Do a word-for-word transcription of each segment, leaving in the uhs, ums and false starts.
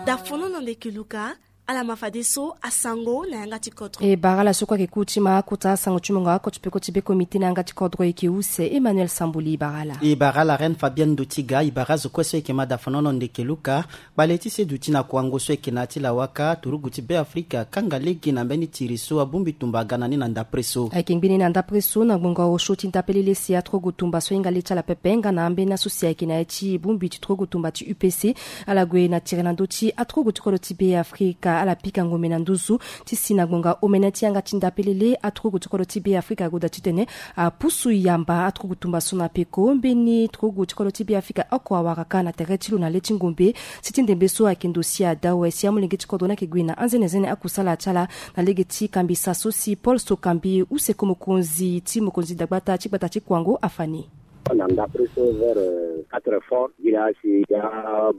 Dafono na ndeke luka. Ala ma fadeso asango na yanga ti kodro. E bara ala so kue ayeke ku ti ma akota asango ti mungo ako ti peko ti be komite na yanga ti kodro ayeke use Emmanuel Sambuli. E bara ala. E bara ala Reine Fabienne Ndotiga. E bara azo kue so ayeke ma dafono na ndeke luka. Kpale ti seduti na kuango so ayeke na ya ti lawaka turugu ti Beafrika akanga lege na mbeni tiri so abongbi tumba aga na ni na ndapre so. Ayeke ngbene na ndapre so na ngbonga osio ti ndapelele si aturugu tumba so ahinga le ti ala pepe nga na ambeni aso si ayeke na ya ti bongbi ti turugu tumba ti U P C. Ala gue na tiri na ndö ti aturugu ti kodro ti Beafrika, ala pika ngombe na nduzu ti si na ngbonga omene ti yanga ti ndapelele aturugu ti kodro ti Beafrika agoda titene apusu yamba aturugu tumba so na peko. Mbeni turugu ti kodro ti Beafrika oko awara kâ na tere ti lo na le ti ngombe. Si ti ndembe so ayeke ndo si ada awe si amolenge ti kodro ni ayeke gue na anzenenzene akusala ti ala na lege ti kambisa so si Paul Sokambi, use ko mokonzi ti mokonzi dagbata ti gbata ti kuango, afa ni. Na ndapre so vers quatre heures, gi na ya si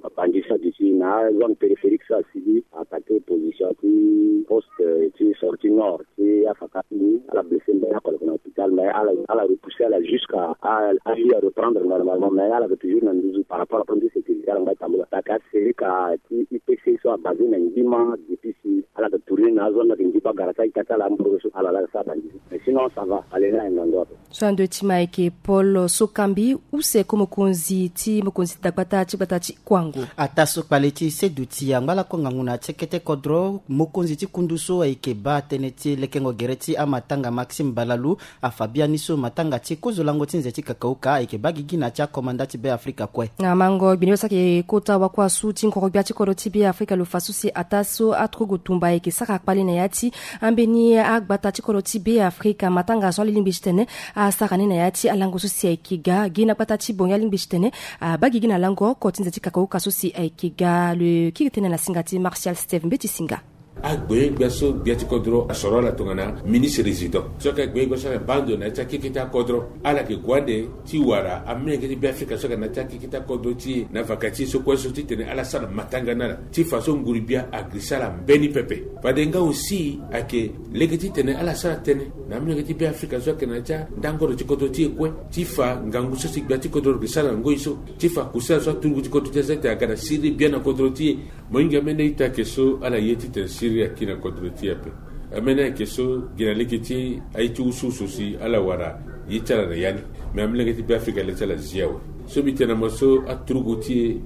abandi so aduti na zone périphérique so asigi attaqué position ti poste ti sortie nord ti afaka ti ni. Ala blessé mbeni akoleko na hôpital, mais ala, ala repoussé ala jusqu'à a, ali areprendre normalement, mais ala yeke toujours na nduzu par rapport à problème de sécurité. Ala ngba ti tambula attaqué aserika ti U P C so abasé na Ngima, depuis si ala yeke tourné na azone, ala yeke ngi baa gara ti a-ita ti ala amboro so ala laa so abandi. Mais sinon ça va, ala ye ni aye na ndö ape. So ando ti ma ayeke Paul Sokambi, use ko mokonzi ti mokonzi ti dagbata ti gbata ti kuango. Ataa so kpale ti seduti angba lakue ngangu na ya ti kete kodro, mokonzi ti kundu so ayeke baa tënë ti lekengo gere ti amatanga Maxime Balalu afa biani so matanga ti kozo lango ti nze ti kakauka ayeke baa gigi na ya ti akomanda ti Beafrika kue. Na mango gbini so ayeke kota waku asu ti ngoro gbia ti kodro ti Beafrika lo fa so si ataa so aturugu tumba ayeke sara kpale na ya ti ambeni agbata ti kodro ti Beafrika. Matanga so alingbi titene asara ni na ya ti alango so si ayeke ga gi na gbata ti bongi alingbi titene abaa gigi na lango oko ti nze ti kakauka so si ayeke ga. Lo kiri tënë na singa ti Martial Steve Mbeti Singa. Agbenyo-gbia so gbia ti kodro asoro ala tongana ministre résident so ayeke agbenyo-gbia so ala baa ndo na ya ti akeke ti akodro. Ala yeke gue ande ti wara amolenge ti Beafrika so ayeke na ya ti akeke ti akodro ti e na vaka ti e so kue so titene ala sara matanga na ala ti fa so nguru-gbia agirisa ala mbeni pepe. Fade nga aussi ayeke lege titene ala sara tënë na amolenge ti Beafrika so ayeke na ya ti andangoro ti kodro ti e kue ti fa ngangu so si gbia ti kodro lo yeke sara na ngoi so ti fa kusala so aturugu ti kodro ti e asara titene aga na siriri bien na kodro ti e. Mohinga ambeni a-ita ayeke so ala ye titene siriri akiri na kodro ti e ape. Ambeni ayeke so gi na lege ti aye ti wusuwusu si ala wara ye ti ala na ya ni. Me amolenge ti Beafrika le ti ala zi awe. So mbi tene na mo so aturugu ti e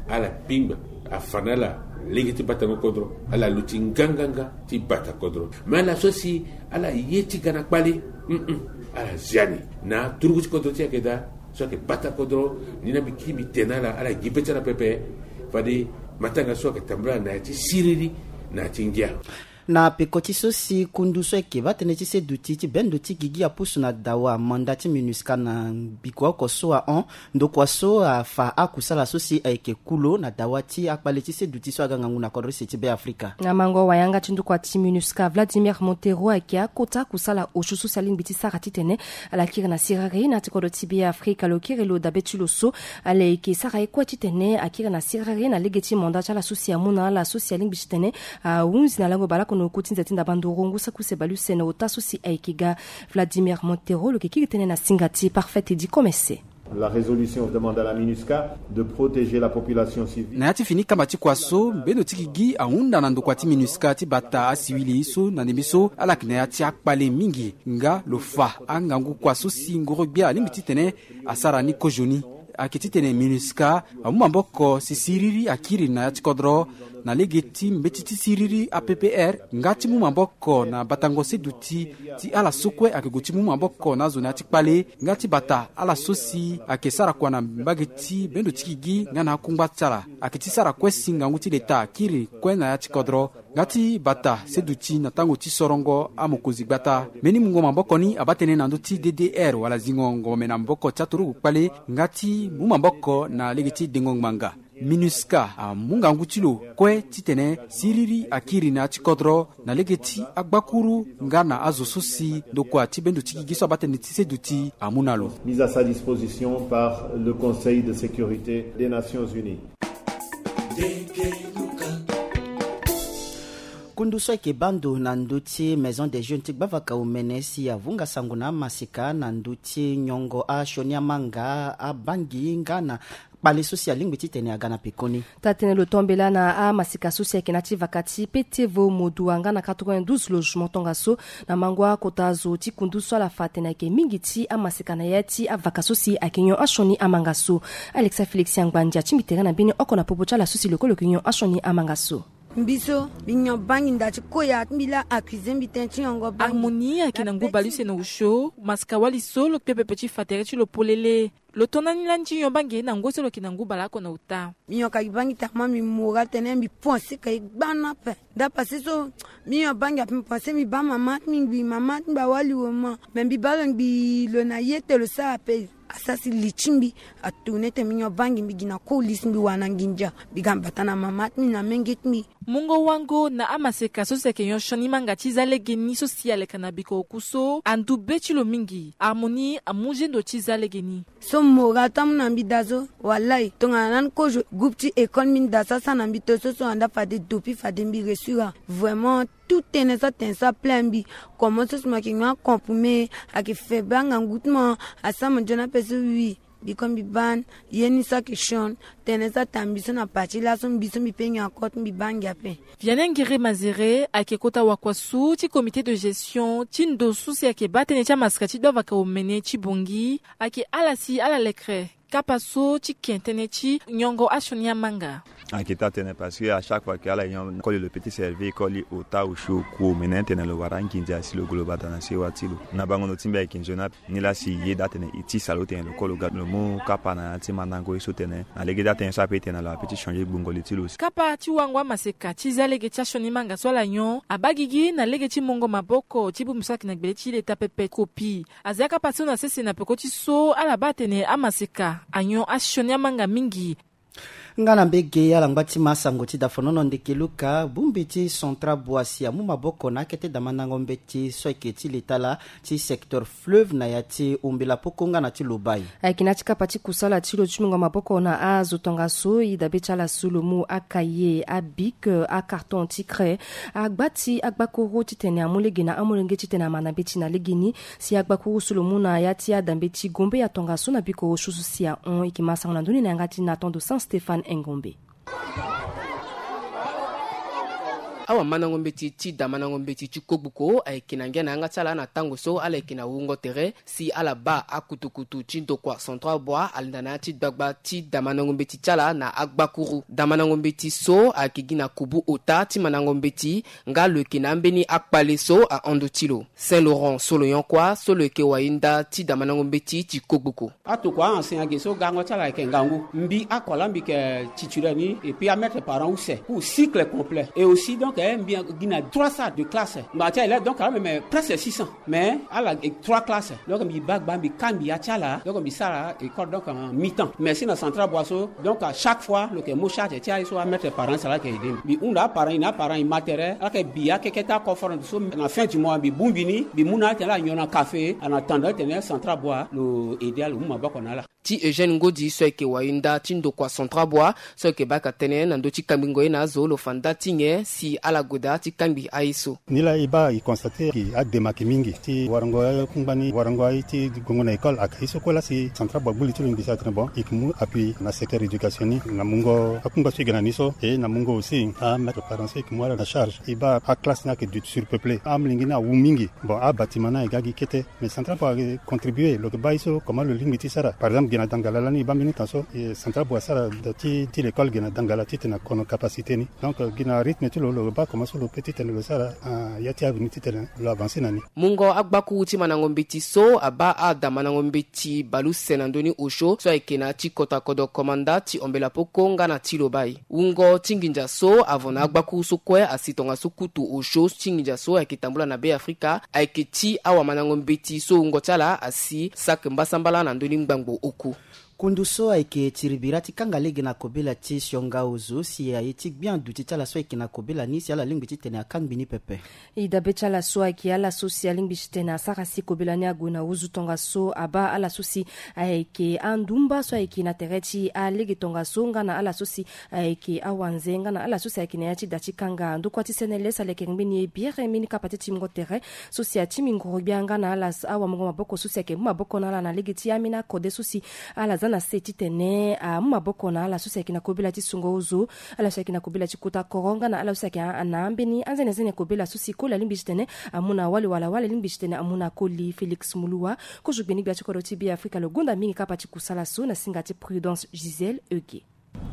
ala kpingba afa na ala lege ti batango kodro. Ala luti nganganga ti bata kodro. Me ala so si ala ye ti ga na kpale, mm, ala zia ni na aturugu ti kodro ti e ayeke daa. So ayeke bata kodro ni na mbi kiri mbi tene na ala, ala gi be ti ala pepe. Fade matanga so ayeke tambula na ya ti siriri na ya ti ngia. Na peko ti so si kundu so ayeke baa tënë ti seduti ti bendo ti gigi apusu na dawa manda ti MINUSCA na bikua oko so ahon. Ndokua so afa akusala so si ayeke kulo na dawa ti akpale ti seduti so aga ngangu na kodro use ti Beafrika. Na mango wayanga ti ndokua ti MINUSCA Vladimir Montero ayeke akota kusala osio so si alingbi ti sara titene ala kiri na siriri na ya ti kodro ti Beafrika. Lo kiri lo dabe ti lo so ala yeke sara ye kue titene akiri na siriri na lege ti manda ti ala so si amu na ala so si alingbi titene ahunzi na lango baleoko na oko ti nze ti ndabandoro ngu saki use bale use na ota so si ayeke ga. Vladimir Montero lo yeke kiri tënë na singa ti Parfait Edi Komese. La résolution demande à la MINUSCA de protéger la population civile. Na ya ti fini kamba ti kua so, mbendo ti gigi ahunda na ndokua ti MINUSCA ti bata asiwili so na ndembe so ala yeke na ya ti akpale mingi. Nga lo fa angangu kua so si ngoro-gbia alingbi titene asara ni kozoni. Ayeke titene MINUSCA amu maboko si siriri akiri na ya ti kodro na lege ti mbeti ti siriri A P P R, nga ti mu maboko na batango seduti ti ala so kue ayeke gue ti mu maboko na azo na ya ti kpale, nga ti bata ala so si ayeke sara kua na mbage ti bendo ti gigi nga na akungba ti ala. Ayeke ti sara kue si ngangu ti leta akiri kue na ya ti kodro, nga ti bata seduti na tango ti sorongo amokonzi gbata. Mbeni mungo maboko ni abaa tënë na ndö ti D D R wala zingo ngombe na maboko ti aturugu kpale, nga ti mu maboko na lege ti dengo ngbanga. MINUSCA amu ngangu ti lo kue titene siriri akiri na ya ti kodro na lege ti agbakuru nga na azo so si ndokua ti bendo ti gigi so abaa tënë ti seduti amu na lo. Mise à sa disposition par le Conseil de sécurité des Nations Unies. Kundu so ayeke baa ndo na ndö ti Maison des Jeunes ti gbavaka omene si avunga sango na amaseka na ndö ti nyongo asioni amanga, abangi nga na kpale so si alingbi titene aga na pekoni. Taa-tënë lo tombela na amaseka so si ayeke na ya ti vaka ti Petevo Modua nga na quatre-vingt-douze logement tongaso na mango akota zo ti kundu so ala fa atene ayeke mingi ti amaseka na ya ti avaka so si ayeke nyon asioni amanga so. Alexa Félix Yangbandia ti mbi tere na mbeni oko na popo ti ala so si lo kue lo yeke nyon asioni amanga so. Mbi so mbi nyon bangi nda ti koya ti mbi laa accusé mbi tënë ti nyongo bangi. Harmonie ayeke na ngu bale use na osio masika wali so lo kpe pepe ti fa tere ti lo polele. Lo tongana ni lani ti nyon bangi na ngoi so lo yeke na ngu bale oko na ota. Mbi nyon ka gi bangi tama mbi mora tene mbi pense ka e gbani ape. Nda pase so mbi nyon bangi ape mbi pense mbi baa mama ti mbi ngbii mama ti mbi awali woma. Me mbi baa lo ngbii lo na ye te lo sara ape. Asara si li ti mbi atourne te mbi nyon bangi mbi gi na koli si mbi wara na nginza. Mbi ga mbata na mama ti mbi na menge ti mbi. Mungo wango na amaseka so si ayeke nyon sioni manga ti za legeni so si aleka na biko oku so andu be ti lo mingi. Harmonie amu zendo ti za legeni. So mora ti amu na mbi daa so walai tongana lani kozo groupe ti école mbi nda so asara na mbi to so so anda fade dopi fade mbi reusira. Vraiment tout tënë so atene so aplain mbi. Comment so si mo yeke nyon akomprime ayeke faible angangu ti mo. Asara mo nzoni ape so wi. Biko mbi baa ye ni so ayeke sioni tënë so atene mbi so na pati laso mbi so mbi pe nyon akot mbi baa ngia ape. Viane ngere mazere ayeke kota wakua so ti comité de gestion ti ndo so si ayeke baa tënë ti amasika ti do avaka omene ti bongi. Ayeke ala si ala lekere kapa so ti ken tënë ti nyongo asioni amanga. Ayeke taa-tënë parce que à chaque fois ke ala nyon koli lo pe ti servi koli ota osio oku omene tene lo wara anginza si lo gue lo bata na sewa ti lo. Na bango ndo ti mbi ayeke nzoni ape. Ni laa si ye daa tene e ti sara lo tene lo koli lo ga lo mu kapa na ya ti mandango ye so tene na lege daa tënë so ape tene lo ape ti changer gbungo li ti lo si. Kapa ti wango amaseka ti za lege ti asioni manga so ala nyon abaa gigi na lege ti mungo maboko ti bongbi so ayeke na gbele ti leta pepe kopi. Aza kapa so na sese na peko ti so ala baa atene amaseka anyon asioni amanga mingi. Nga na mbege ala ngba ti ma sango ti dafonono ndeke luka bongbi ti central bois si amu maboko na akete damandango mbeti so ayeke ti leta laa ti secteur fleuve na ya ti ombela poko nga na ti lobai. Ayeke na ya ti kapa ti kusala ti lo ti mungo maboko na azo tongaso e dabe ti ala so lo mu akaye abik acarton ti craie agba ti agbakuru titene amu lege na amolenge titene amanda mbeti na legeni. Si agbakuru so lo mu na ya ti adambe ti gombe ya tongaso na biko osio so si ahon e yeke ma sango na ndoni na yanga ti na tondo saint stéphane engombe. Awamandango mbeti ti damandango mbeti ti kogbuko ayeke na ngia na yanga ti ala na tango so ala yeke na wungo tere si ala baa akutukutu ti ndokua central bois alenda na ya ti gbagba ti damandango mbeti ti ala na agbakuru. Damandango mbeti so ayeke gi na kubu ota ti mandango mbeti nga lo yeke na ambeni akpale so ahon ndo ti lo. Saint laurent so lo nyon kuâ so lo yeke wayinda ti damandango mbeti ti kogbuko. Atokua ancien age so gango ti ala ayeke ngangu mbi akua laa mbi yeke titulaire ni et puis amaître parent use pour cycle complet et aussi donc eh, mbi gi na trois salles de classe. Ngbanga ti ala donc ala meme presque six cents mais ala trois classes donc mbi baa gba mbi ka mbi ya ti ala donc mbi sara école donc en mi-temps mais si na central bois so donc à chaque fois lo yeke mu charge ti aye so amaître parent si ala yeke aidé mbi. Mbi hunda aparent e na aparent e ma tere ala yeke bi akeke ti aconférence so na fin du mois mbi bongbi ni mbi mu na ala tene ala nyon na café ana tanda tene central bois lo aidé ala lo mu maboko na ala. Ti eugène ngodi so ayeke wayinda ti ndokua central bois so ayeke baa ka tënë na ndö ti kangbingo ye na azo lo fa nda ti nyen si ala gue daa ti kangbi aye so. Ni laa e baa e constate ke adema ayeke mingi ti warango akungba ni warango aye ti gongo na école aka ye so kue laa si central bois gbu li ti lo ngbi si atene bon e yeke mu appui na secteur éducation ni na mungo akungba so e ga na ni so e na mungo aussi amaître parent so e yeke mu ala na charge e baa aclasse ni ayeke du surpeuplé amolenge ni awu mingi. Bon abâtiment ni ayeke ga gi kete. Mais central bois ayeke contribué lo yeke baa ye so comment lo lingbi ti sara par exemple gi na dangala lani e baa mbeni temps so central bois asara ti ti l'école gi na dangala titene akono capacité ni. Donc gi na rythme ti lo lo baa comment so lo peut titene lo sara ya ti avenir titene lo avancé na ni. Mungo agbakuru ti mandango mbeti so abaa ada mandango mbeti baleuse na ndö ni osio so ayeke na ya ti kota kodro komanda ti ombela poko nga na ti lobai. Wungo ti nginza so avo na agbakuru so kue asi tongaso kutu osio ti nginza so ayeke tambula na be afrika ayeke ti awamandango mbeti so wungo ti ala asi sake mbasambala na ndö ni ngbangbo oku. Kundu so ayeke tiri bira ti kanga lege na kobela ti sionga ozo si aye ti gbia duti ti ala so ayeke na kobela ni si ala lingbi titene akangbi ni pepe. E dabe ti ala so ayeke ala so si alingbi titene asara si kobela ni ague na ozo tongaso abaa ala so si ayeke andumba so ayeke na tere ti alege tongaso nga na ala so si ayeke awanze nga na ala so si ayeke na ya ti da ti kanga. Ndokua ti sene lesa leke ngbeni e bire mbeni kapa ti timingo tere so si atimingo gbia nga na ala s- awamungo maboko so si ayeke mu maboko na ala na lege ti ambeni akode so si ala za na se titene amu maboko na ala so si ayeke na kobela ti sungo ozo, ala so ayeke na kobela ti kota koro nga na ala so si ayeke a- na ambeni anzenezene kobela so si koli alingbi titene amu na wali wala wali alingbi titene amu na koli. Félix Muluwa, kozo gbeni gbia ti kodro ti Be Afrika lo gonda mingi kapa ti kusala so na singa ti Prudence Gisèle Ege.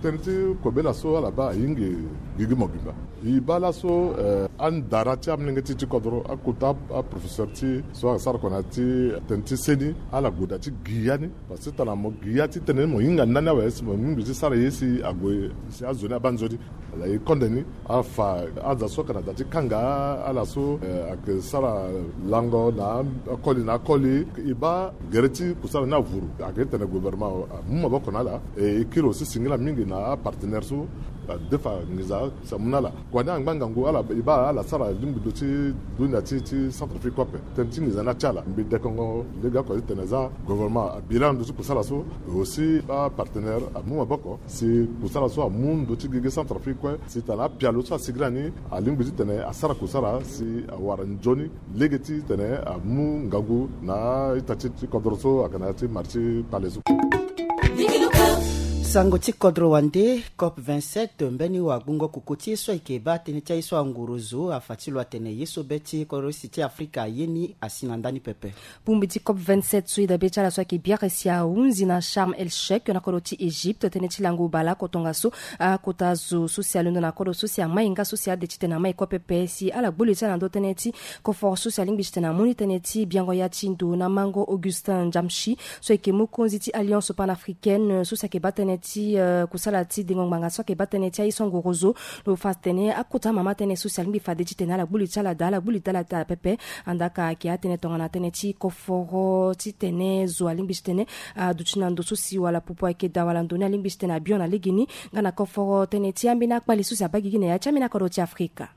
Tënë ti kobela so ala baa ahingi gigi mobimba. E baa laso eh, andara ti amolenge ti ti kodro akota aprofesseur ti so asara kona ti tënë ti seni ala goda ti gi ya ni. Parce que tana mo gi ya ti tënë ni mo hinga ndani awe si mo lingbi ti sara ye si ague si azo ni abaa nzoni. Ala e konde ni afa aza so ayeke na da ti kanga ala so eh, ayeke sara lango na akoli na akoli. E baa gere ti kusala ni avuru ayeke titene gouvernement amu maboko na ala. E kiri aussi singila mingi na apartenaire so adefa nginza si amu na ala. Kua ni angba ngangu ala e baa ala sara lingbi ndo ti dunia ti ti Centrafrique kue ape. Tënë ti nginza ni atia ala mbi dekongo lege oko titene za gouvernement abira ndo ti kusala so. Aussi apartenaire amu maboko si kusala so amu ndo ti gigi Centrafrique kue si tana apialo so asigila ni alingbi titene asara kusala si awara nzoni lege titene amu ngangu na ita ti ti kodro so ayeke na ya ti mari ti pale so. Sango ti kodro wande. Cop vingt-sept mbeni wagbungo koko ti ye so ayeke baa tënë ti aye so anguru zo afa ti lo atene ye so be ti kodro isi ti Afrika aye ni asi na ndani pepe. Bongbi ti cop vingt-sept so e dabe ti ala so ayeke biere si ahunzi na Sharm el Sheikh na kodro ti Egypte tënë ti lango baleoko tongaso akota zo so si alondo na kodro so si amai nga so si ade titene amai kue pepe si ala gbu li ti ala na ndo tënë ti koforo so si alingbi titene amu ni tënë ti biango ya ti ndo na mango Augustin Djamshi so ayeke mokonzi ti Alliance panafricaine so si ayeke baa tënë ti eh, kusala ti dengo ngbanga so ayeke baa tënë ti aye so anguru zo. Lo fa tene akota mama tënë so si alingbi fade titene ala gbu li ti ala daa ala gbu li ti ala daa pepe. Andaa ka ayeke atene tongana tënë ti koforo titene zo alingbi titene aduti na ndo so si wala pupu ayeke daa wala ndo ni alingbi titene abion na legeni. Nga na koforo tënë ti ambeni akpali so si abaa gigi na ya ti ambeni akodro ti Afrika.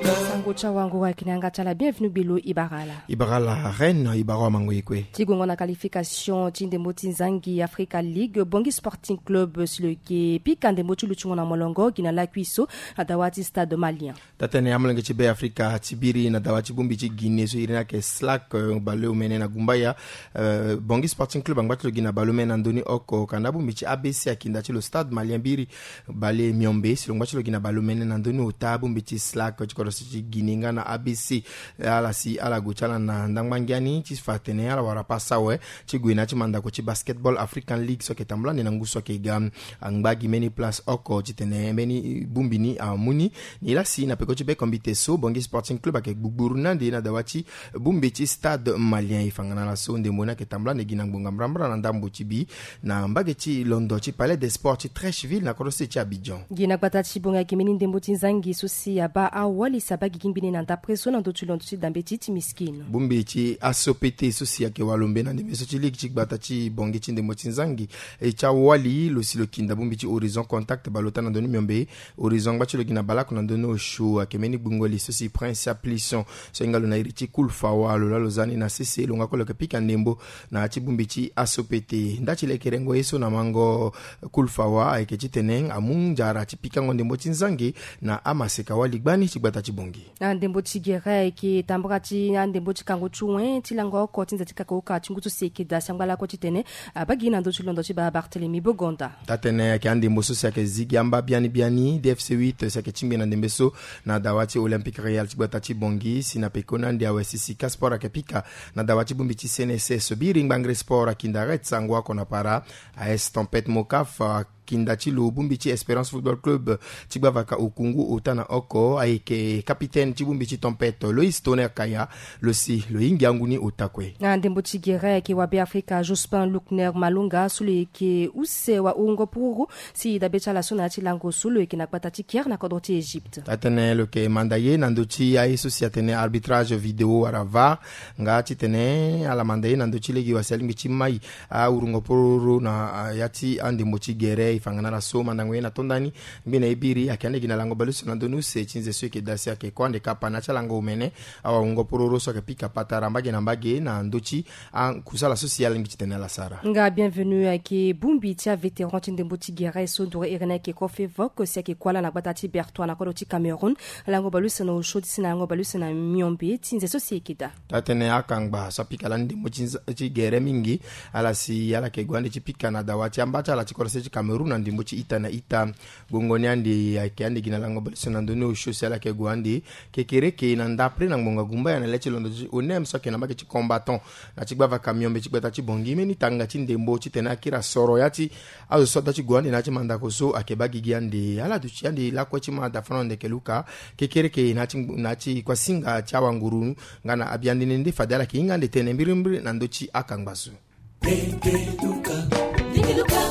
Sango ti awango ayeke na yanga ti ala bienvenu gbelo. Ibara ala. Ibara ala reine, ibara amango ye kue. Ti gongo na qualification ti ndembo ti nzangi Africa League, Bongi Sporting Club si lo yeke pika ndembo ti lutungo na molongo gi na lakui so na dawa ti Stade Malien. Taa-tënë amolenge ti Be Afrika ti biri na dawa ti bongbi ti Guinée so iri ni ayeke Slack, eh, baleomene na gumbaya. Eh, Bongi Sporting Club angba ti lo gi na baleomene na ndoni oko kanda bongbi ti A B C akinda ti lo Stade Malien biri baleomene miombe si lo ngba ti lo gi na baleomene na ndoni ota. Bongbi ti Slack ti kodro so ti Guinée nga na A B C ala si ala gue ti ala na ndangba ngia ni ti fa atene ala wara pasa awe ti gue na ya ti mandako ti Basketball African League so ayeke tambula ande na ngu so ayeke ga. Angba gi mbeni place oko titene mbeni bongbi ni amu ni. Nilaa si na peko ti be kombite so Bongi Sporting Club ayeke gbugburu ni ande na dawa ti bongbi ti Stade Malien. E fa nga na ala so ndembo ni ayeke tambula ande gi na ngbonga mbrambra na ndambo ti bi na mbage ti londo ti Palais des Sports ti Treichville na kodro se ti Abidjan. Gi na gbata ti bongi ayeke mbeni ndembo ti nzangi so si abaa awali si abaa gigi mbeni na ndapre so na ndö ti londo ti dambe ti ti miskino. Bongbi ti A S O P T so si ayeke walombe na ndembe so ti ligue ti gbata ti bongi ti ndembo ti nzangi e ti awali lo si lo kinda bongbi ti Horizon Contact baleota na ndö ni miombe. Horizon angba ti lo gi na baleoko na ndö ni osio ayeke mbeni gbungo li so si Prince Application so ahinga lo na iri ti Cool Fawa lo laa lo za ni na sese lo nga kue lo yeke pika ndembo na ya ti bongbi ti A S O P T. Nda ti lekerengo ye so na mango Cool Fawa ayeke titene amu nzara ti pikango ndembo ti nzangi na amaseka wali gbani ti gbata ti bongi. Andembo ti gere ayeke tambara ti andembo ti kango ti wen ti lango oko ti nze ti kakaoka ti ngu so si eke daa si angba lakue titene abaa gi na ndö ti londo ti baa Barthélemy Bogonda. Taa-tënë ayeke andembo so si ayeke zi gi amba biani biani D F C huit si ayeke tingbi na ndembe so na dawa ti Olympique Royal ti gbata ti bongi si na pekoni ande awe si Sika Sport ayeke pika na dawa ti bongbi ti C N S S. Biri ngbangre sport akinda Red Sango oko na para A S Tempête Mokaf Kinda ti lo bongbi ti Espérance Football Club ti gbavaka okungu ota na oko ayeke capitaine ti bongbi ti Tempête, Loïs Tonnerre Kaya. Lo si lo hingi angu ni ota kue. Na ndembo ti gere ayeke wa Beafrika Jospin Luckner Malonga so lo yeke use wa wungo pururu si dabe ti ala so na ya ti lango so lo yeke na gbata ti Caire na kodro ti Égypte. Taa tënë lo yeke manda ye na ndö ti aye so si atene arbitrage vidéo wala VAR, nga titene ala manda ye na ndö ti lege wa si alingbi ti mai awurungo pororo na ya ti andembo ti gere. E fa nga na ala so mandango ye na tonda ni. Ngbene e biri ayeke ande gi na lango baleuse na ndö ni use ti nze so e yeke daa si ayeke kue ande kapa na ya ti alango omene. Awawungo pororo so ayeke pika patara mbage na mbage na ndö ti akusala so si alingbi titene ala sara. Nga Bienvenu ayeke bongbi ti avétéran ti ndembo ti gere so nduru iri ni ayeke kue fevok si ayeke kue ala na gbata ti Bertois na kodro ti Cameroun. Lango baleuse na osio ti si na lango baleuse na miombe ti nze so si e yeke daa. Taa tënë akangba so apika lani ndembo ti nza- ti gere mingi. Ala si ala yeke gue ande ti pika na dawa ti amba ti ala ti kodro se ti Cameroun na ndembo ti ita na ita. Gongo ni ande ayeke ande gi na lango baleuse na ndö ni osio si ala yeke gue ande kekereke na ndapre na ngbonga gumbaya na le ti londo ti onem so ayeke na mbage ti combattant na ti gbavaka miombe ti gbata ti Bongi. Mbeni tanga ti ndembo titene akiri asoro ya ti azo so ada ti gue ande na ya ti mandako so ayeke baa gigi ande. Ala duti ande lakue ti ma dafa na ndeke luka kekereke na ya ti ngbu- na ya ti kuasinga ti awanguru. Nga na abi ande ni nde fade ala yeke hinga ande tene mbirimbiri na ndö ti akangba so.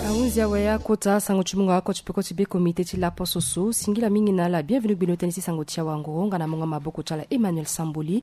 Ahunzi awe akota sango ti mungo oko ti peko ti be komite ti laposo so singila mingi na ala Bienvenu gbeni otene ti sango ti awanguru nga na mungo maboko ti ala Emmanuel Samboli.